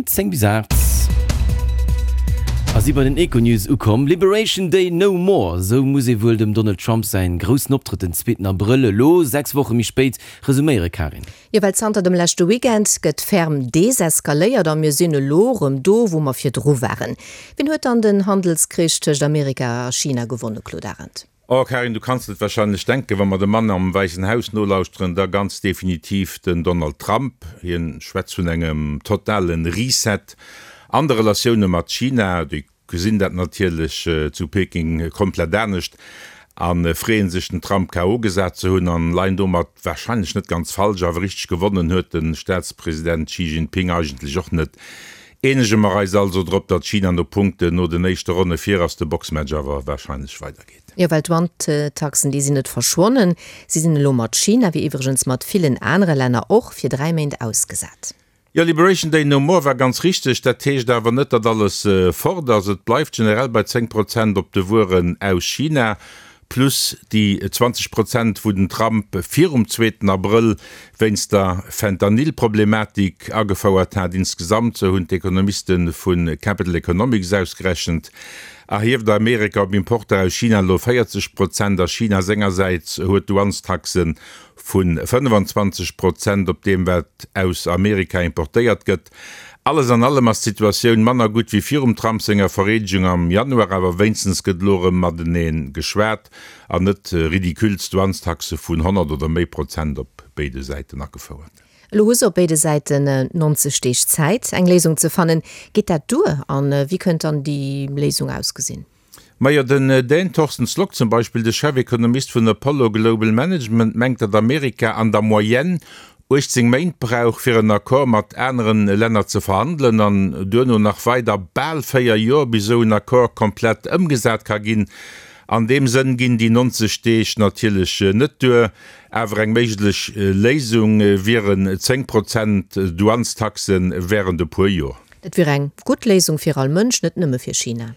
10 bis 8 a si bei den Econews ukomm. Liberation Day no more, esou muss ee wuel dem Donald Trump säin groussen Optrëtt den zweeten Abrëll, elo 6 Woche méi spéit, resuméiere Karin. Jo, well zanter dem leschte Weekend gëtt ferm deseskaléiert a mir sinn elo rëm do, wou mer virdru waren. Wien huet dann den Handelskrich tëscht Amerika a China gewonne, Claude Arend? Oh Karin, du kanns et wahrscheinlech denken, wa mer dem Mann am Wäissen Haus nolauschteren, da ganz definitiv den Donald Trump. Hien schwätzt vun engem totalen Reset an de Relatioune mat China. Déi gesinn dat natierlech zu Peking komplett anescht a freeën sech, den Trump KO gesat ze hunn an leien domat wahrscheinlech net ganz falsch. Awer richteg gewonnen huet de Staatspresident Xi Jinping eigentlech och net. Eenege mer eis also drop, datt China no Punkten no den éischte Ronne vir ass, de Boxmatch awer warscheinlech weidergeet. Jo, well d'Wandtaxen, déi sinn net verschwonnen. Si sinn elo mat China, wéi iwwregens mat villen anere Länner och, fir 3 Méint ausgesat. Jo, Liberation Day no more war ganz richteg. Dat heescht awer net, datt alles fort ass. Et bleift generell bei 10 Prozent op de Wueren aus China. Plus déi 20 Prozent, wou den Trump virum zweeten Abrëll wéinst der Fentanyl-Problematik agefouert hat. Insgesamt, sou hunn d'Ekonomiste vu Capital Economics ausgerechent, erhieft Amerika op Importer aus China elo 40 Prozent a China sengersäits huet Douanestaxe vu 25 Prozent op deem, wat aus Amerika importéiert gëtt. Alles an allem ass d'Situatioun manner gutt wéi virum Trump senger Vereedegung am Januar, awer wéinstens gëtt elo erëm matenee geschwat an net ridicules Douanestaxe vun 100 oder méi Prozent op béide Säiten agefouert. Elo hu se op béide Säiten 90 Deeg Zäit, eng Léisung ze fannen. Geet dat duer a wéi kënnt dann déi Léisung ausgesinn? Majo, den Dän Torsten Slok zum Beispill, de Chefekonomist vun Apollo Global Management, mengt, datt Amerika an der Moyenne 18 Méint brauch, fir en Accord mat aneren Länner ze verhandelen, an duerno nach weider bal 4 Joer, bis esou en Accord komplett ëmgesat ka ginn. An deem Sënn ginn déi 90 Deeg natierlech net duer, awer eng méiglech Léisung wieren 10 Prozent Douanestaxe wärend e puer Joer. Dat wier eng gutt Léisung fir all Mënsch, net nëmme fir China.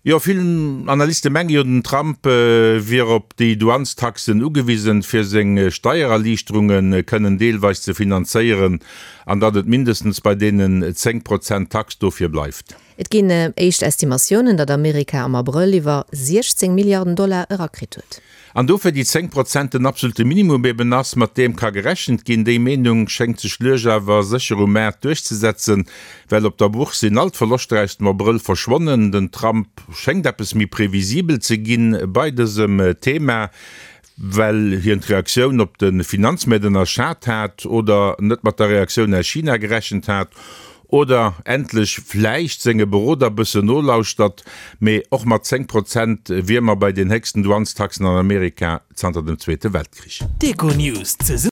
Jo, vill Analyste menge jo, den Trump wier op déi Douanestaxen ugewisen, fir seng Steiererliichterunge kënnen deelweis ze finanzéieren, an datt et mindestens bei deenen 10 Prozent Tax dofir bleift. Et ginn éischt Estimatiounen, datt Amerika am Abrëll iwwer 16 Milliarden Dollar erakritt huet. An dofir déi 10 Prozent den absolute Minimum eben ass, mat deem ka gerechent ginn. Déi Meenung schéngt sech lues awer sécher um Maart duerchzesetzen, well op der Bourse sinn all d'Verloschter aus dem Abrëll verschwonnen. Den Trump schéngt eppes méi previsibel ze ginn bei dësem Thema, well hien d'Reaktioun op de Finanzmäert ënnerschat hat oder net mat der Reaktioun aus China gerechent hat. Oder endlech vläicht senge Beroder bëssen nolauschtert, mee och mat 10 Prozent wier mer bei den héchsten Douanestaxen an Amerika zanter dem Zweete Weltkrich. D'Econews.